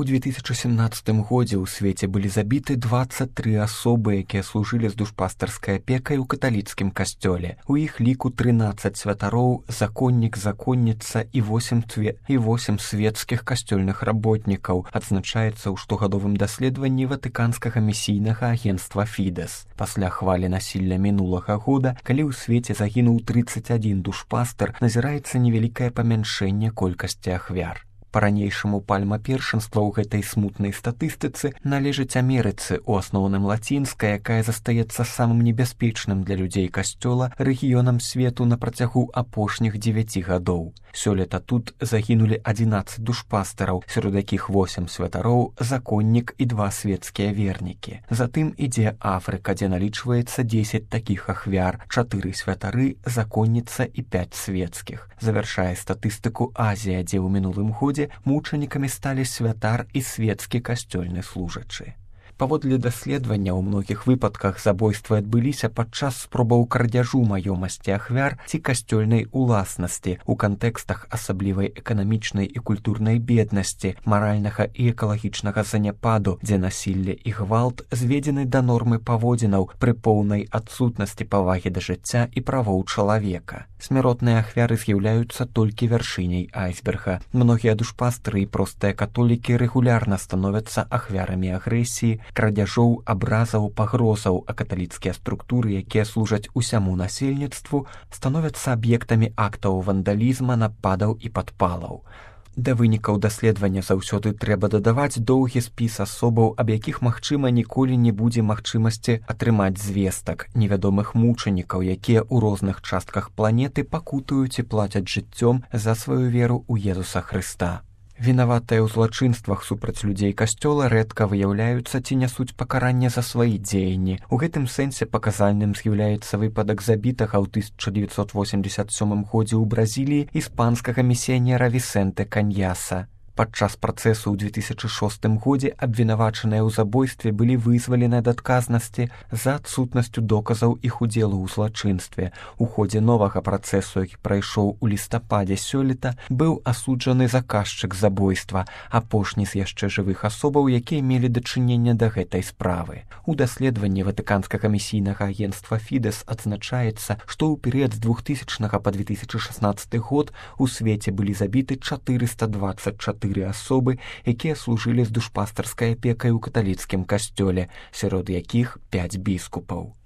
У 2017 годзе ў свеце былі забіты 23 асобы, якія служылі з душпастарскай апекай у каталіцкім касцёле. У іх ліку 13 святароў, законнік, законніца і 8 светскіх касцёльных работнікаў, адзначаецца ў штогадовым даследаванні ватыканскага місійнага агенцтва Фідэс. Пасля хвалі насілля мінулага года, калі ў свеце загінуў 31 душпастар, назіраецца невялікае памяншэнне колькасці ахвяр. Па-ранейшаму пальма першынства ў гэтай смутнай статыстыцы належыць Амерыцы, у асноўным лацінская, якая застаецца самым небяспечным для людзей касцёла рэгіёнам свету на працягу апошніх 9 гадоў. Сёлета тут загінулі 11 душпастараў, сярод якіх 8 святароў, законнік і 2 светскія вернікі. Затым ідзе Афрыка, дзе налічваецца 10 такіх ахвяр, 4 святары, законніца і 5 светскіх. Завяршае статыстыку Азія, дзе ў мінулым годзе мучанікамі сталі святар і светскі касцёльны служачы. Паводле даследавання, у многіх выпадках забойствы адбыліся падчас спробаў крадзяжу маёмасці ахвяр ці касцёльнай уласнасці у кантэкстах асаблівай эканамічнай і культурнай беднасці, маральнага і экалагічнага заняпаду, дзе насілле і гвалт зведзены да нормы паводзінаў пры поўнай адсутнасці павагі да жыцця і правоў чалавека. Смяротныя ахвяры з'яўляюцца толькі вяршыняй айсберга. Многія душпастары і простыя католікі рэгулярна становяцца ахвярамі агрэсіі, крадзяжоў, абразаў, пагрозаў, а каталіцкія структуры, якія служаць усяму насельніцтву, становяцца аб'ектамі актаў вандалізма, нападаў і падпалаў. Да вынікаў даследавання заўсёды трэба дадаваць доўгі спіс асобаў, аб якіх, магчыма, ніколі не будзе магчымасці атрымаць звестак, невядомых мучанікаў, якія ў розных частках планеты пакутуюць і плацяць жыццём за сваю веру ў Езуса Хрыста. Вінаватыя ў злачынствах супраць людзей касцёла рэдка выяўляюцца ці нясуць пакаранне за свае дзеянні. У гэтым сэнсе паказальным з'яўляецца выпадак забітага ў 1987 годзе ў Бразіліі іспанскага місіянера Вісенте Каньяса. Падчас працэсу ў 2006 годзе абвінавачаныя ў забойстве былі вызвалены ад адказнасці за адсутнасцю доказаў іх удзелу ў злачынстве. У ходзе новага працэсу, які прайшоў у лістападзе сёлета, быў асуджаны заказчык забойства, апошні з яшчэ жывых асобаў, якія мелі дачыненне да гэтай справы. У даследаванні ватыканскага місійнага агенцтва Фідэс адзначаецца, што ў перыяд з 2000 па 2016 год у свеце былі забіты 424 асобы, якія служылі з душпастарскай апекай у каталіцкім касцёле, сярод якіх 5 біскупаў.